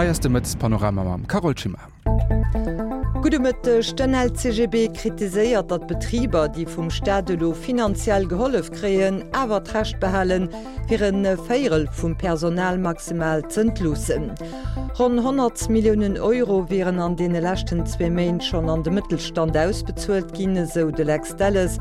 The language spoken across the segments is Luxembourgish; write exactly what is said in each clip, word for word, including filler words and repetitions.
Hei ass de Mëttespanorama mam Carole Schimmer. Gudde Mëtteg, Den L C G B kritiséiert, datt Betriber, déi vum Staat elo finanziell gehollef kréien, awer d'Recht behalen, fir e Véierel vum Personal maximal z'entloossen. Ronn honnert Milliounen Euro wieren an deene leschten zwee Méint schonn an de Mëttelstand ausbezuelt ginn, esou de Lex Delles.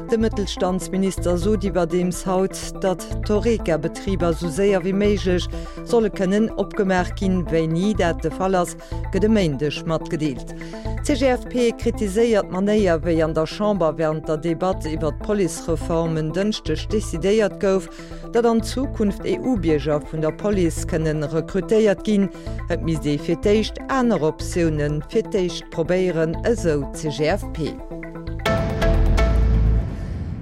De Mëttelstandsminister sot iwwerdeems haut, datt d'Horeca-Betriber esou séier wéi méiglech solle kënnen opgemaach ginn. Wéini dat de Fall ass, gëtt e Méindeg matgedeelt. D'C G F P kritiséiert d'Manéier, wéi an der Chamber wärend der Debatt iwwer d'Policereform en Dënschdeg decidéiert gouf, datt an Zukunft E U-Bierger vun der Police kënne rekrutéiert ginn. Et misst ee fir d'éischt aner Optioune fir d'éischt probéieren, esou d'C G F P.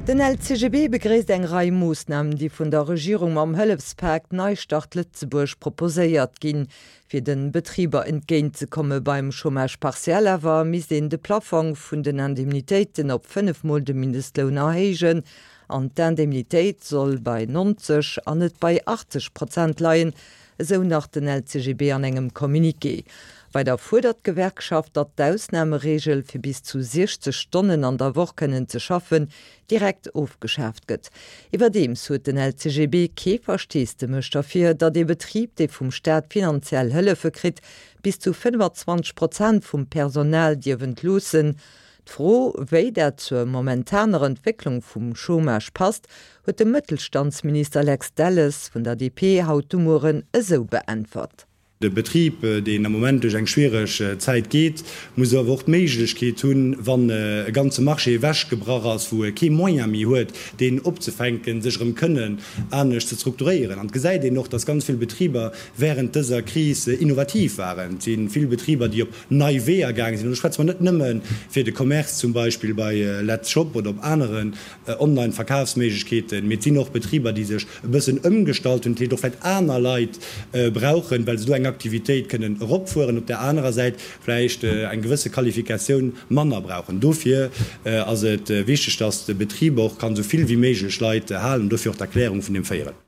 Den L C G B begréisst eng Rei Moossnamen, déi vun der Regierung mam Hëllefspak Neistart Lëtzebuerg proposéiert ginn, fir de Betriber entgéintzekomme beim Chômage partiel. Awer misst een de Plafong vun den Indemnitéiten op fënnef Mol de Mindestloun erhéijen an d'Indemnitéit soll bei nonzeg an net bei achtzeg Prozent leien, esou nach den L C G B an engem Communiqué. Weider fuerdert d'Gewerkschaft, datt d'Ausnamereegel fir bis zu siechzeg Stonnen an der Woch kënnen ze schaffen, direkt ofgeschaaft gëtt. Iwwerdeems huet den L C G B kee Versteesdemech derfir, datt ee Betrib, dee vum Staat finanziell Hëllefe kritt, bis zu fënnefazwanzeg Prozent vum Personal dierf entloossen. D'Fro, wéi dat zur momentaner Entwécklung vum Chômage passt, huet de Mëttelstandsminister Lex Delles vun der D P haut de Mueren esou beäntwert. De Betrib, deen am Moment duerch eng schwiereg Zäit geet, muss awer och d'Méiglechkeet hunn, wann e ganze Marché ewechgebrach ass, wou e kee Moyen méi huet, deen opzefänken, sech erëm kënnen anescht ze strukturéieren. An et gesäit een och, dass ganz vill Betriber während dëser Kris innovativ waren. Et si vill Betriber, déi op nei Weeër gaange sinn. An do schwätze mer net nëmme fir de Commerce, zum Beispill bei Letzshop oder op aneren Online-Verkafsméiglechkeeten, mee et sinn och Betriber, déi sech e bëssen ëmgestallt hunn, déi och vläicht aner Leit brauchen, well se do eng Aktivitéit kënnen eropfueren, op där anerer Säit vläicht eng gewësse Qualifikatioun manner brauchen. Dofir ass et wichteg, dass de Betrib och kann esou vill wéi méiglech Leit halen, dofir och d'Erklärung vun deem Véierel.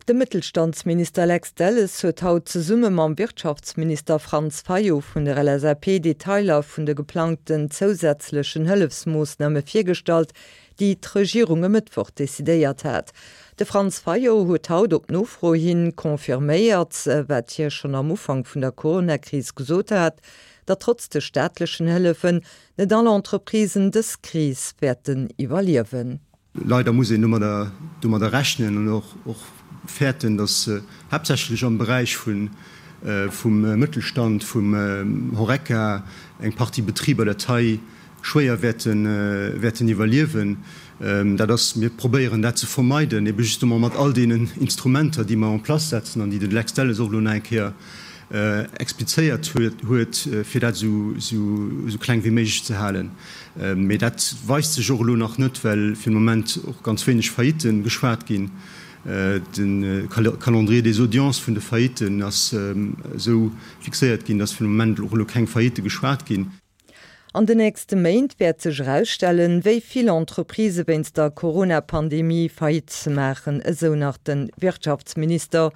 De Mëttelstandsminister Lex Delles huet haut zesumme mam Wirtschaftsminister Franz Fayot vun der L S A P Detailer vun de geplangten zousätzlechen Hëllefsmoossname virgestallt, déi d'Regierung e Mëttwoch decidéiert hat. De Franz Fayot huet haut op Nofro hin confirméiert, wat hie schonn am Ufank vun der Coronakris gesot hat, datt trotz de staatlechen Hëllefen net all Entreprisen dës Kris wäerten iwwerliewen. Leider muss een domadder domadder rechnen an och och fäerten, datt haaptsächlech am Beräich vun vum Mëttelstand, vum Horeca eng Partie Betriber dat hei schwéier wäerten wäerten iwwerliewen. Dat ass, mir probéieren dat ze vermeiden, ebe justement mat all deenen Instrumenter, déi mer en place setzen an déi de Lex Delles och elo nach eng Kéier explizéiert huet, fir dat esou esou kleng wéi méiglech ze halen. Mee dat weist sech och elo nach net, well fir de Moment och ganz wéineg Faillitten geschwat ginn. De Calendrier des audiences vun de Faillitten ass esou fixéiert ginn, datt fir de Moment och elo keng Faillitte geschwat ginn. An den nächste Méint wäert sech erausstellen, wéi vill Entreprisë wéinst der Corona-Pandemie Faillite maachen, esou nach de Wirtschaftsminister.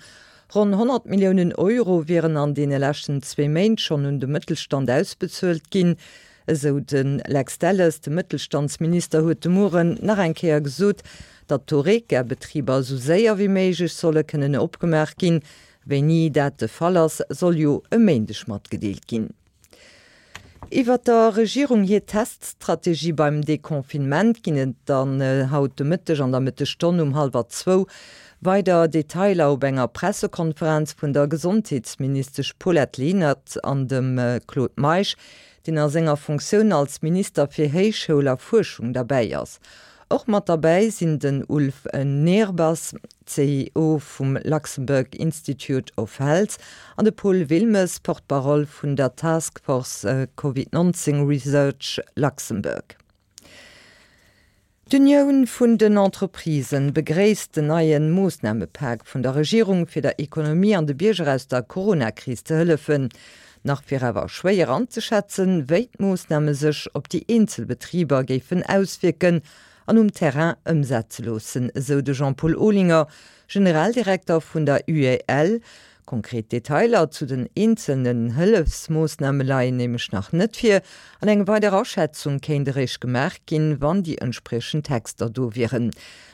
Ronn honnert Milliounen Euro wieren an deene leschten zwee Méint schonn un de Mëttelstand ausbezuelt ginn, esou de Lex Delles. De Mëttelstandsminister huet de Mueren nach eng Kéier gesot, datt d'Horeca-Betriber esou séier wéi méiglech solle kënnen opgemaach ginn. Wéini dat de Fall ass, soll jo e Méindeg matgedeelt ginn. Iwwer der Regierung hir Teststrategie beim Deconfinement ginn et dann haut de Mëtteg an der Mëttesstonn um hallwer zwou weider Detailer op enger Pressekonferenz vun der Gesondheetsministesch Paulette Lenert an dem Claude Meisch, deen a senger Funktioun als Minister fir Héichschoul a Fuerschung derbäi ass. Och mat derbäi sinn den Ulf Nehrbass, C E O vum Luxembourg Institute of Health, an de Paul Wilmes, Porte-parole vun der Task Force Covid neunzéng Research Luxembourg. D'Unioun vun den Entreprisen begréisst den neie Moossnamepak vun der Regierung fir der Ekonomie an de Bierger aus der Coronakris ze hëllefen. Nach wier awer schwéier anzeschätzen, wéi d'Moossname sech op déi eenzel Betriber géifen auswierken an um Terrain ëmsetze loossen, esou de Jean-Paul Olinger, Generaldirekter vun der U E L. Konkret Detailer zu den eenzelnen Hëllefsmoossname leien nämlech nach net vir, an eng weider Aschätzung kéint eréischt gemaach ginn, wann déi entspriechend Texter do wieren.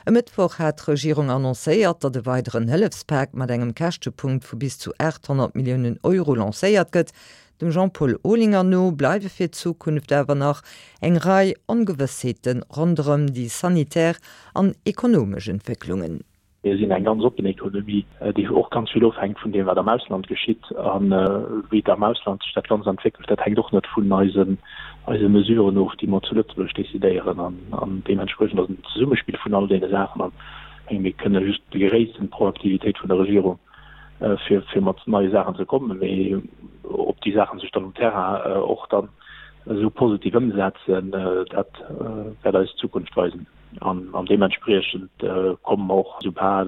E Mëttwoch hat d'Regierung annoncéiert, datt e weideren Hëllefspak mat engem Käschtepunkt vu bis zu achthonnert Milliounen Euro lancéiert gëtt. Dem Jean-Paul Olinger no bleiwe fir d'Zukunft awer nach eng Rei Ongewëssheete ronderëm déi sanitär an ekonomesch Entwécklungen. Mir sinn eng ganz oppen Ekonomie, déi och ganz vill ofhänkt vun deem, wat am Ausland geschitt. A wéi et am Ausland sech dat Ganzt entwéckelt, dat hänkt och net vun eisen, eise Mesuren of, déi mer zu Lëtzebuerg decidéieren. An deementspriechend ass et en Zesummespill vun all deene Saachen. An ech menge mir kënne just begréissen d'Proaktivitéit vun der Regierung, fir, fir mat neie Saachen ze kommen. Mee ob déi Saache sech dann um Terrain och dann esou positiv ëmsetzen, dat wäert eis d'Zukunft weisen. An deementspriechend kommen och, soubal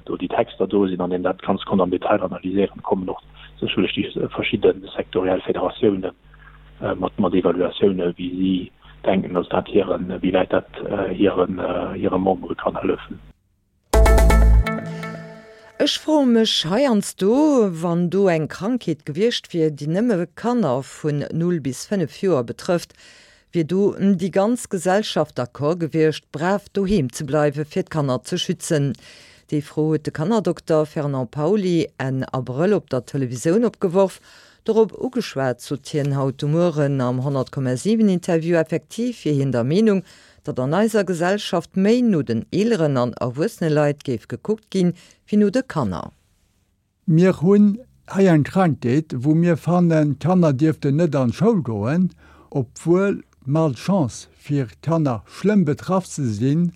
do déi Texter do sinn an een dat Ganzt konnt am Detail analyséieren, kommen och sécherlech déi verschidde sektoriell Federatioune mat mat Evaluatiounen, wéi si denken, dass dat hiren, wéi wäit dat hiren, hire Membere kann hëllefen. Ech froe mech heiansdo, wann do eng Krankheet gewiescht wier, déi nëmme Kanner vun null bis fënnef Joer betrëfft, wier do déi ganz Gesellschaft d'accord gewiescht, brav doheem ze bleiwe fir d'Kanner ze schützen? Déi Fro huet de Kannerdokter Fernand Pauly Enn Abrëll op der Televisioun opgeworf. Dorop ugeschwat, sot hien haut de Mueren am honnert Komma siwen Interview, effektiv wier hien der Meenung, datt an eiser Gesellschaft méi no den eeleren an erwuessene Leit géif gekuckt ginn, wéi no de Kanner. Mir hunn hei eng Krankheet, wou mir fannen, d'Kanner dierften net an d'Schoul goen, obwuel d'Malchance fir Kanner schlëmm betraff ze sinn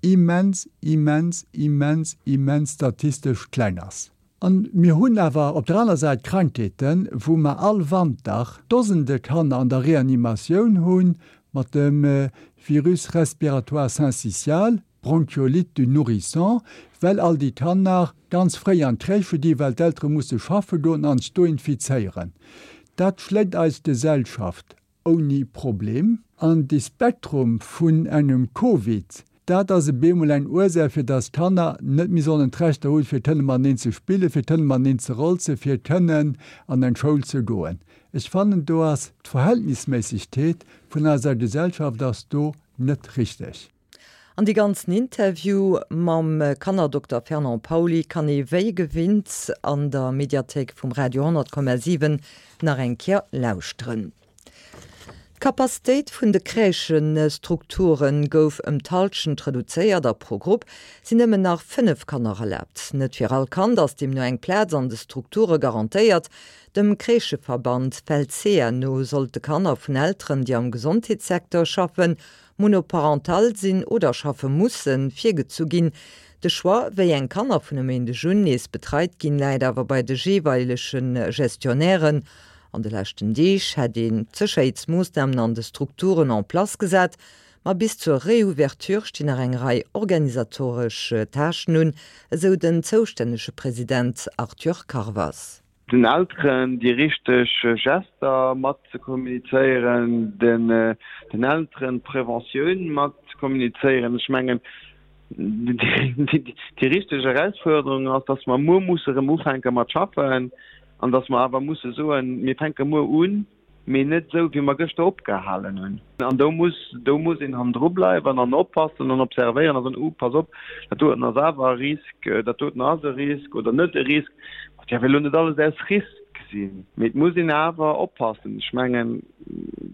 immens, immens, immens, immens statistesch kleng ass. A mir hunn awer op der aner Säit Krankheeten, wou mer all Wanter Dosende Kanner an der Reanimatioun hunn, mat dem Virus respiratoire syncytial, Bronchiolite du nourrisson, well all déi Kanner ganz fréi an d'Crèche gi well d'Eltere musse schaffe goen an sech do infizéieren. Dat schléckt eis Gesellschaft ouni Problem. An de Spektrum vun engem Covid, dat ass e bemol eng Ursaach, fir dass d'Kanner net méi sollen d'Rechter hunn, fir kënne mateneen ze spillen, fir kënne mateneen ze rolzen, fir kënnen an eng Schoul ze goen. Ech fannen, do ass d'Verhältnisméissegkeet vun eiser Gesellschaft ass do net richteg. An dee ganzen Interview mam Kannerdokter Fernand Pauly kann ee wéi gewinnt an der Mediathéik vum Radio honnert Komma siwen nach eng Kéier lauschteren. D'Capacitéit vun de Crèchëstrukture gouf ëm d'Hallschent reduzéiert a pro Grupp sinn nëmmen nach fënnef Kanner erlaabt. Net fir all Kand ass deemno eng Plaz an de Strukture garantéiert. Dem Crèchëverband Felsea no sollte Kanner vun Elteren, déi am Gesondheetssecteur schaffen, monoparental sinn oder schaffe mussen, virgezu ginn. De Choix, wéi eng Kanner vun e Méindeg un nees betreit ginn, läit awer bei de jeeweilege Gestionnairen. An de leschten Deeg hätt een d'Sécherheetsmoossnamen an de Strukturen en place gesat, ma bis zur Reouverture stinn nach eng Rei organisatoresch Tâchen un, esou den zoustännege President Arthur Carvas. Den Elteren déi richteg Gester mat ze kommunizéieren, den Elteren d'Preventioun mat ze kommunizéieren. Ech mengen, déi richteg Erausfuerderung ass, dass mer muer musse erëm ufänke mat schaffen an dass mer awer musse soen, mir fänke muer un, mee net esou, wéi mer gëschter opgehalen hunn. An do muss, do muss een hannendru bleiwen an oppassen an observéieren a soen, Uh, pass op, dat doten ass awer e Risk, dat doten ass e Risk oder net e Risk. Et däerf elo net alles aus Risk sinn, mee et muss een awer oppassen. Ech mengen,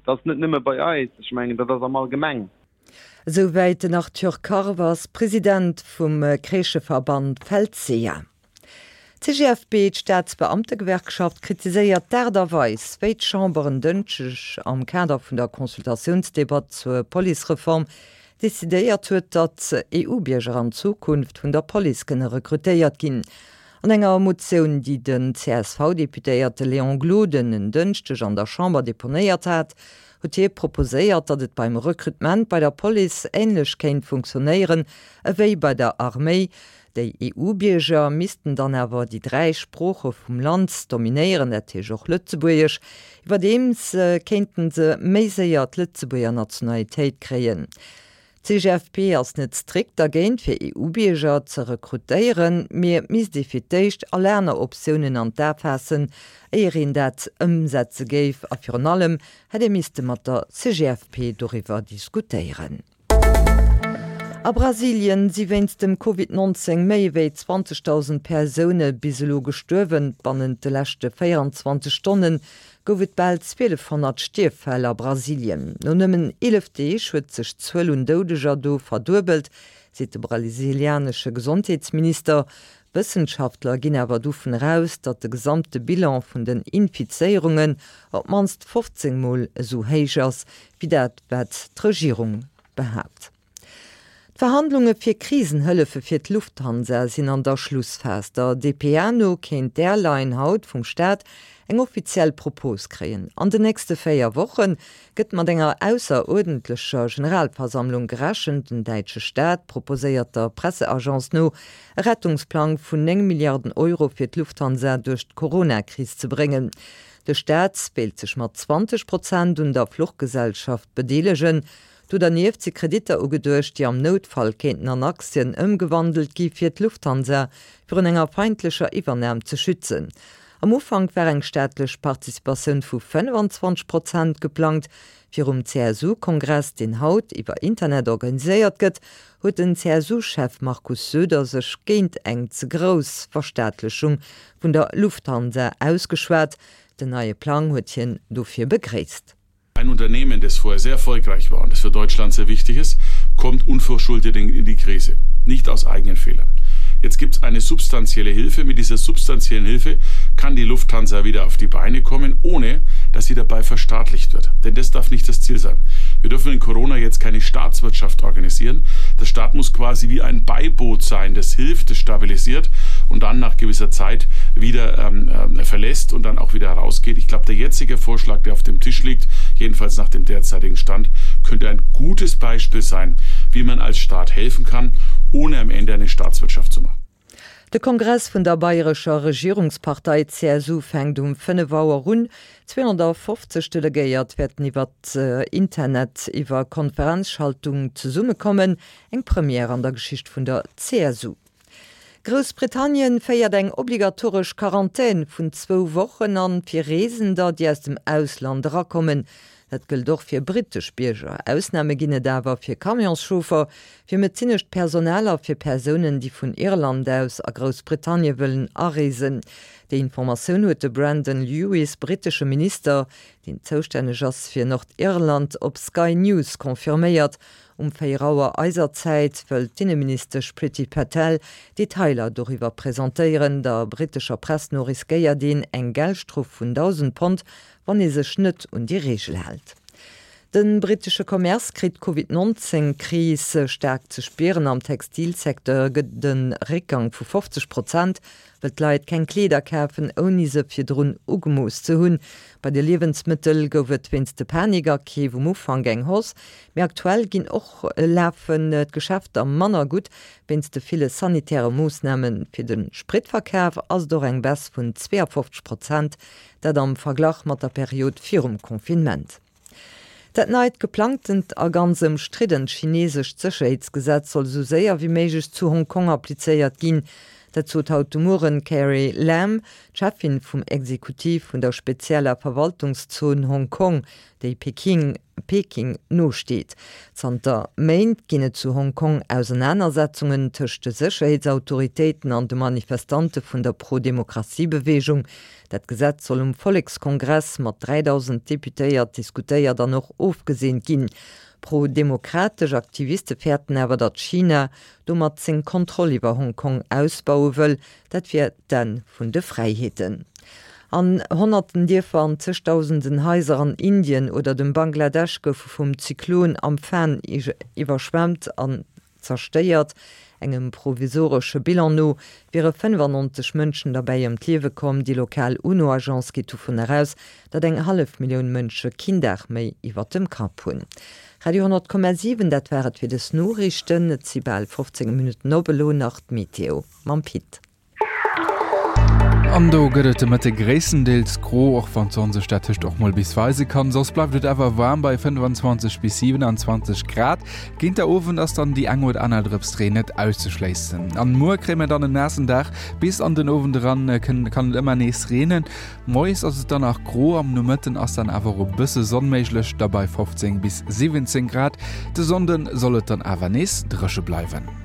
dat ass net nëmme bei eis, ech mengen, dat ass am Allgemeng. Esouwäit den Arthur Carvas, President vum Crèchëverband Felsea. D'CGFP, d'Staatsbeamtegewerkschaft, kritiséiert d'Aart a Weis, wéi d'Chamber en Dënschdeg am Kader vun der Consultatiounsdebatt zur Policereform decidéiert huet, datt EU-Bierger an Zukunft vun der Police kënne rekrutéiert ginn. An enger Motioun, déi den C S V-Deputéierte Léon Gloden en Dënschdeg an der Chamber deponéiert hat, huet hie proposéiert, datt et beim Rekrutement bei der Police änlech kéint funktionéieren ewéi bei der Arméi. Déi E U-Bierger missten dann awer déi dräi Sprooche vum Land dominéieren, dat heescht och Lëtzebuergesch. Iwwerdeems kéinten se méi séier d'Lëtzebuerger Nationalitéit kréien. D'CGFP ass net strikt dergéint fir EU-Bierger ze rekrutéieren, mee et misst ee fir d'éischt all aner Optiounen an d'A faassen, éier een dat ëmsetze géif a virun allem hätt ee misste mat der CGFP doriwwer diskutéieren. A Brasilien si wéinst dem Covid nonzéng méi ewéi zwanzegdausend Persoune bis elo gestuerwen. Bannent de leschte véierundzwanzeg Stonne gouf et bal zwielefhonnert Stierffäll a Brasilien. No nëmmen eelef Deeg huet sech d'Zuel un Doudeger do verduebelt, seet de brasilianesche Gesondheetsminister. Wëssenschaftler ginn awer dovun eraus, datt de gesamte Bilan vun den Infizéierungen op d'mannst fofzéng Mol esou héich ass, wéi dat wat d'Regierung behaapt. D'Verhandlunge fir Krisenhëllefe fir d'Lufthansa sinn an der Schlussphas. Der D P A no kéint d'Airline haut vum Staat eng offiziell Propos kréien. An den nächste véier Woche gëtt mat enger ausseruerdentlecher Generalversammlung gerechent. Den däitsche Staat proposéiert der Presseagence no e Rettungsplang vun néng Milliarden Euro fir d'Lufthansa duerch d'Corona-Kris ze bréngen. De Staat wéilt sech mat zwanzeg Prozent un der Fluchgesellschaft bedeelegen. Do dernieft si Kreditter ugeduecht, déi am Noutfall kéinten an Aktien ëmgewandelt gi fir d'Lufthansa virun enger feindlecher Iwwernam ze schützen. Am Ufank war eng staatlech Participatioun vu fënnfanzwanzeg Prozent geplangt. Virum C S U-Kongress, deen haut iwwer Internet organiséiert gëtt, huet den C S U-Chef Markus Söder sech géint eng ze grouss Verstaatlechung vun der Lufthansa ausgeschwat. Den neie Plang huet hien dofir begréisst. Ein Unternehmen, das vorher sehr erfolgreich war und das für Deutschland sehr wichtig ist, kommt unverschuldet in die Krise, nicht aus eigenen Fehlern. Jetzt gibt es eine substanzielle Hilfe. Mit dieser substanziellen Hilfe kann die Lufthansa wieder auf die Beine kommen, ohne dass sie dabei verstaatlicht wird. Denn das darf nicht das Ziel sein. Wir dürfen in Corona jetzt keine Staatswirtschaft organisieren. Der Staat muss quasi wie ein Beiboot sein, das hilft, das stabilisiert und dann nach gewisser Zeit wieder ähm, äh, verlässt und dann auch wieder herausgeht. Ich glaube, der jetzige Vorschlag, der auf dem Tisch liegt, jedenfalls nach dem derzeitigen Stand, könnte ein gutes Beispiel sein, wie man als Staat helfen kann, ohne am Ende eine Staatswirtschaft zu machen. De Kongress vun der bayrescher Regierungspartei C S U fänkt um fënnef Auer un. zweehonnertfofzeg Delegéiert wäerten iwwer Internet iwwer Konferenzschaltung zesummekommen, eng Première an der Geschicht vun der C S U. Groussbritannien féiert eng obligatoresch Quarantän vun zwou Wochen an fir Reesender, déi aus dem Ausland erakommen. Dat gëllt och fir brittesch Bierger. Ausname ginn et awer fir Camionschauffer, fir medezinescht Personal a fir Persounen, déi vun Irland aus a Groussbritannie wëllen areesen. Déi Informatioun huet de Brandon Lewis, brittesche Minister, deen zoustänneg ass fir Nordirland, op Sky News confirméiert. Um véier Auer eiser Zäit wëll d'Inneministesch Priti Patel Detailer doriwwer presentéieren. Der brittescher Press no riskéiert een eng Geldstrof vun dausend Pond, wann ee sech net un déi Reegel hält. De brittesche Commerce kritt d'Covid nonzéng Kris staark ze spieren. Am Textilsecteur gëtt et e Réckgang vu fofzeg Prozent, well d'Leit keng Kleeder kafen, ouni se virdrun ugemooss ze hunn. Bei de Liewensmëttel gouf et wéinst de Panikakeef um Ufank eng Hausse, mee aktuell ginn och lafen d'Geschäfter manner gutt wéinst de ville sanitäre Moossnamen. Fir de Spritverkaf ass et och eng Baisse vun zweeafofzeg Prozent, dat am Verglach mat der Period virum Confinement. Dat neit geplangtent a ganz ëmstriddent chinesescht Sécherheetsgesetz soll esou séier wéi méiglech zu Hongkong applizéiert ginn. Dat sot haut de Mueren d'Carrie Lam, d'Cheffin vum Exekutiv vun der spezieller Verwaltungszon Hongkong, déi Peking Peking nosteet. Zanter Méint ginn et zu Hongkong Ausenanersetzungen tëscht de Sécherheetsautoritéiten an de Manifestante vun der Pro-Demokratie-Beweegung. Dat Gesetz soll um Vollekskongress mat dräidausend Deputéiert diskutéiert an och ofgeseent ginn. Pro-demokratesch Aktiviste fäerten awer, datt China domat seng Kontroll iwwer Hongkong ausbaue wëll, dat wier d'Enn vun de Fräiheeten. An honnerten Dierfer an zegdausenden Haiser an Indien oder dem Bangladesch goufe vum Zyklon Amphan iwwerschwemmt an zerstéiert. Engem provisoresche Bilan no wiere fënnefannonzeg Mënschen derbäi ëm d'Liewe komm. Déi lokal UNO-Agence geet dovun eraus, datt eng hallef Millioun Mënsche keen Daach méi iwwer dem Kapp hunn. Radio honnert Komma siwen, dat war et fir des Noriichten. Et si bal fofzéng Minutten op, elo nach d'Meteo mam Pit. An An do gëtt et de Mëtte gréisstendeels gro, och wann d'Sonn sech dertëscht och mol bis weise kann. Soss bleift et awer waarm bei fënnwanzwanzeg bis siewenanzwanzeg Grad. Géint der Owend ass dann déi eng oder aner Drëps Reen net auszeschléissen. An muer kréie mir dann en naassen Dag, bis an den Owend eran kann et ëmmer nees reenen. Moies ass et dann nach gro, am Nomëtten ass dann awer och e bësse Sonn méiglech, da bei fofzéng bis siwwenzéng Grad. De Sonnde soll et dann awer nees dréche bleiwen.